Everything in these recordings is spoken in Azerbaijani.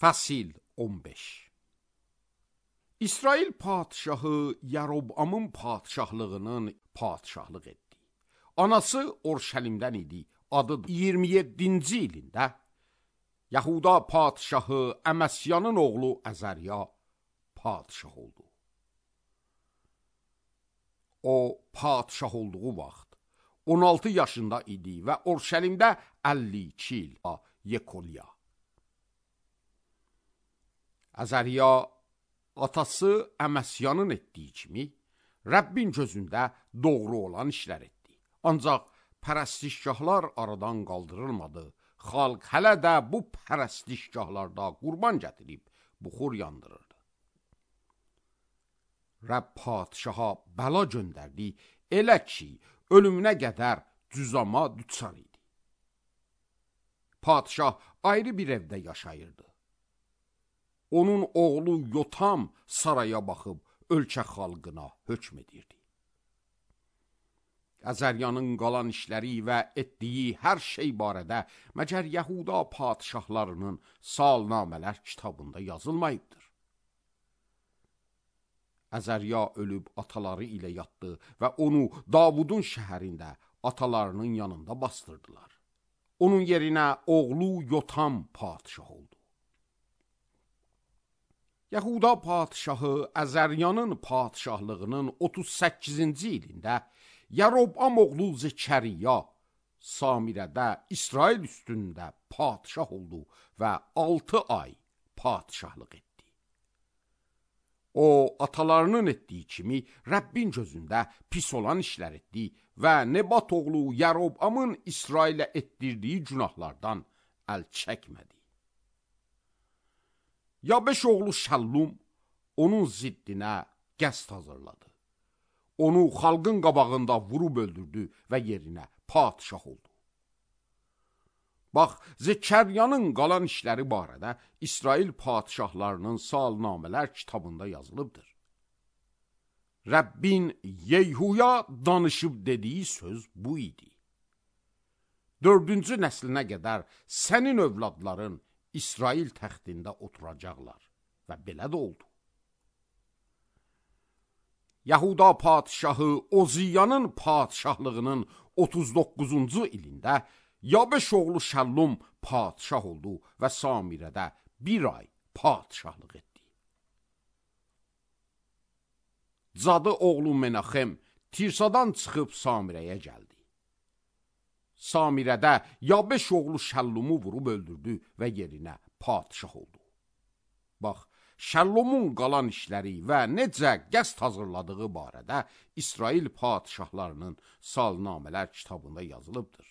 Fəsil 15. İsrail padşahı Yarobamın padşahlığının padşahlıq etdi. Anası Orşəlimdən idi. Adı 27-ci ilində Yahuda padşahı Əməsyanın oğlu Əzərya padşah oldu. O padşah olduğu vaxt 16 yaşında idi və Orşəlimdə 52 il Yekolya. Əzərya atası Əməsyanın etdiyi kimi Rəbbin gözündə doğru olan işlər etdi. Ancaq pərəstişgahlar aradan qaldırılmadı. Xalq hələ də bu pərəstişgahlarda qurban gətirib buxur yandırırdı. Rəbb padşaha bəla göndərdi, elə ki, ölümünə qədər cüzama düçar idi. Padşah ayrı bir evdə yaşayırdı. Onun oğlu Yotam saraya baxıb ölkə xalqına hökm edirdi. Əzəryanın qalan işləri və etdiyi hər şey barədə məgər Yahuda padşahlarının salnamələr kitabında yazılmayıbdır. Əzərya ölüb ataları ilə yatdı və onu Davudun şəhərində atalarının yanında bastırdılar. Onun yerinə oğlu Yotam padşah oldu. Yahuda padşahı Əzəryanın padşahlığının 38-ci ilində Yarobam oğlu Zekəriya Samirədə İsrail üstündə padşah oldu və 6 ay padşahlıq etdi. O, atalarının etdiyi kimi Rəbbin gözündə pis olan işlər etdi və Nebat oğlu Yarobamın İsrailə etdirdiyi günahlardan əl çəkmədi. Yabeş oğlu Şəllum onun ziddinə qəsd hazırladı. Onu xalqın qabağında vurub öldürdü və yerinə padşah oldu. Bax, Zekəryanın qalan işləri barədə İsrail padşahlarının salnamələr kitabında yazılıbdır. Rəbbin Yeyhuya danışıb dediyi söz bu idi. 4-cü nəslinə qədər sənin övladların İsrail təxtində oturacaqlar və belə də oldu. Yahuda padşahı Oziyanın padşahlığının 39-cu ilində Yabeş oğlu Şəllum padşah oldu və Samirədə 1 ay padşahlıq etdi. Cadı oğlu Menaxem Tirsadan çıxıb Samirəyə gəldi. Samirədə Yabeş oğlu Şəllumu vurub öldürdü və yerinə padşah oldu. Bax, Şəllumun qalan işləri və necə qəsd hazırladığı barədə İsrail padşahlarının salnamələr kitabında yazılıbdır.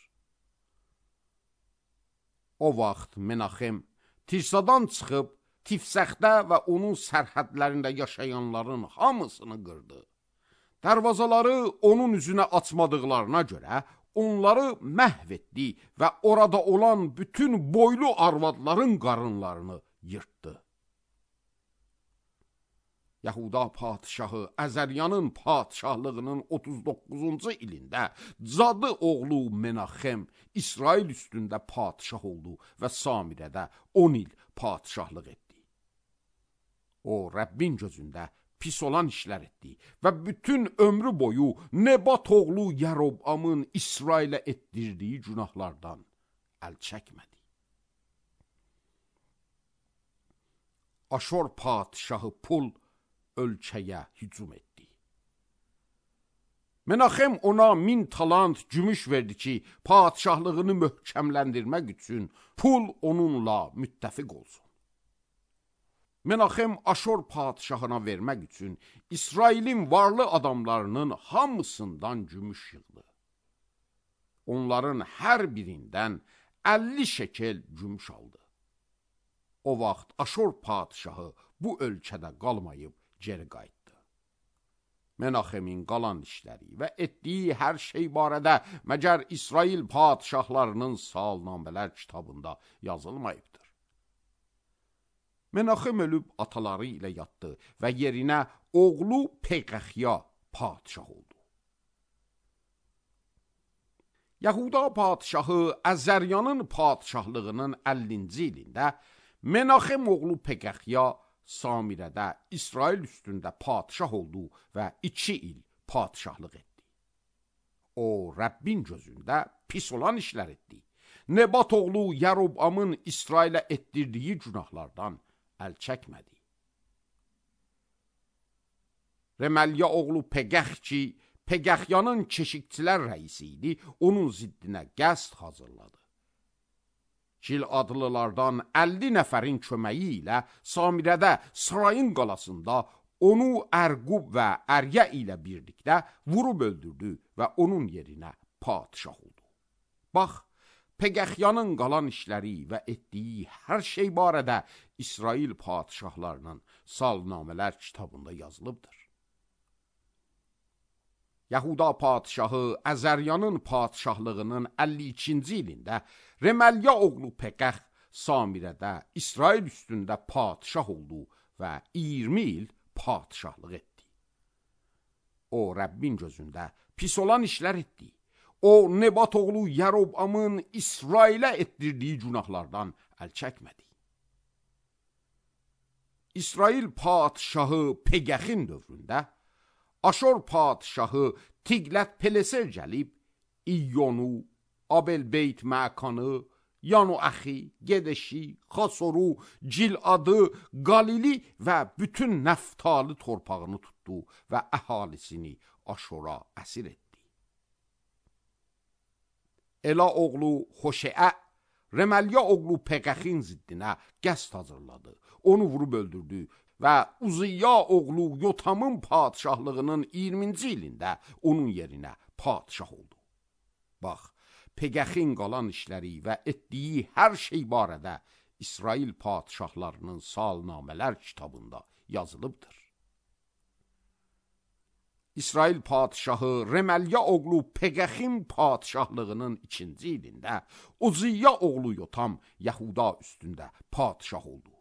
O vaxt Menaxem Tirsadan çıxıb Tifsəxdə və onun sərhədlərində yaşayanların hamısını qırdı. Dərvazaları onun üzünə açmadıqlarına görə onları məhv etdi və orada olan bütün boylu arvadların qarınlarını yırtdı. Yahuda padşahı Əzəryanın padşahlığının 39-cu ilində cadı oğlu Menaxem İsrail üstündə padşah oldu və Samirədə 10 il padşahlıq etdi. O, Rəbbin gözündə pis olan işlər etdi və bütün ömrü boyu Nebat oğlu Yarobamın İsrailə etdirdiyi günahlardan əl çəkmədi. Aşor padşahı Pul ölkəyə hücum etdi. Menaxem ona 1000 talant gümüş verdi ki, padşahlığını möhkəmləndirmək üçün Pul onunla müttəfiq olsun. Menaxem Aşor padşahına vermək üçün İsrailin varlı adamlarının hamısından gümüş yığdı. Onların hər birindən 50 şekel gümüş aldı. O vaxt Aşor padşahı bu ölkədə qalmayıb geri qayıtdı. Menaxemin qalan işləri və etdiyi hər şey barədə məgər İsrail padşahlarının salnamələr kitabında yazılmayıbdır. Menaxem ölüb ataları ilə yatdı və yerinə oğlu Peyğəxya padşah oldu. Yahuda padşahı Əzəryanın padşahlığının 50-ci ilində Menaxem oğlu Peqəxya Samirədə İsrail üstündə padişah oldu və 2 il padişahlıq etdi. O, Rəbbin gözündə pis olan işlər etdi. Nebat oğlu Yarobamın İsrailə etdirdiyi günahlardan əl çəkmədi. Reməlya oğlu Peqəx ki, Peqəxyanın keşikçilər rəisi idi, onun ziddinə qəsd hazırladı. Gil adlılardan 50 nəfərin köməyi ilə Samirədə sarayın qalasında onu Ərqub və Əryə ilə birlikdə vurub öldürdü və onun yerinə padişah oldu. Bax, Peqəxyanın qalan işləri və etdiyi hər şey barədə İsrail padişahlarının salnamələr kitabında yazılıbdır. Yahuda padişahı Əzəryanın padişahlığının 52-ci ilində Reməlya oğlu Peqəx Samirədə İsrail üstündə padişah oldu və 20 il padişahlıq etdi. O, Rəbbin gözündə pis olan işlər etdi. O, Nebat oğlu Yarobamın İsrailə etdirdiyi günahlardan əl çəkmədi. İsrail padişahı Peqəxin dövründə Aşor padişahı Tiqlət-Pileser gəlib, İyyonu, Abel-Beyt Məkanı, Yanu-Əxi, Gedeşi, Xasoru, Ciladı, Qalili və bütün Nəftalı torpağını tutdu və əhalisini Aşora əsir etdi. Ela oğlu Xoşeə, Reməlya oğlu Peqəxin ziddinə qəsd hazırladı, onu vurub öldürdü və Uziyya oğlu Yotamın padişahlığının 20-ci ilində onun yerinə padişah oldu. Bax, Peqəxin qalan işləri və etdiyi hər şey barədə İsrail padişahlarının salnamələr kitabında yazılıbdır. İsrail padişahı Reməlya oğlu Peqəxin padişahlığının 2-ci ilində Uziyya oğlu Yotam Yahuda üstündə padişah oldu.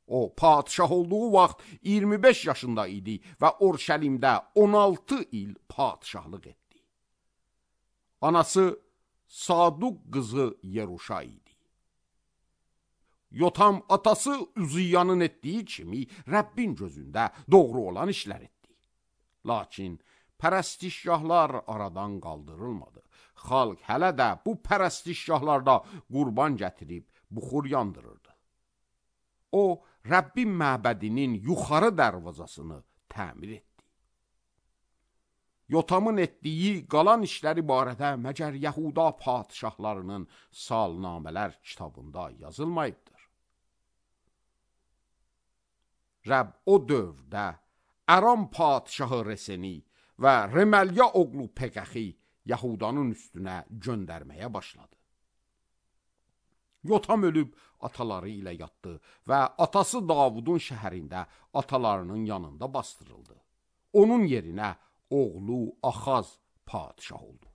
O, padişah olduğu vaxt 25 yaşında idi və Orşəlimdə 16 il padişahlıq etdi. Anası Saduq qızı Yeruşa idi. Yotam atası Uziyyanın etdiyi kimi Rəbbin gözündə doğru olan işlər etdi. Lakin pərəstişgahlar aradan qaldırılmadı. Xalq hələ də bu pərəstişgahlarda qurban gətirib buxur yandırırdı. O, Rəbbin məbədinin yuxarı dərvazasını təmir etdi. Yotamın etdiyi qalan işləri barədə məgər Yahuda padişahlarının salnamələr kitabında yazılmayıbdır. Rəbb o dövrdə Aram padişahı Reseni və Reməlya oğlu Peqəxi Yahudanın üstünə göndərməyə başladı. Yotam ölüb ataları ilə yatdı və atası Davudun şəhərində atalarının yanında bastırıldı. Onun yerinə oğlu Axaz padişah oldu.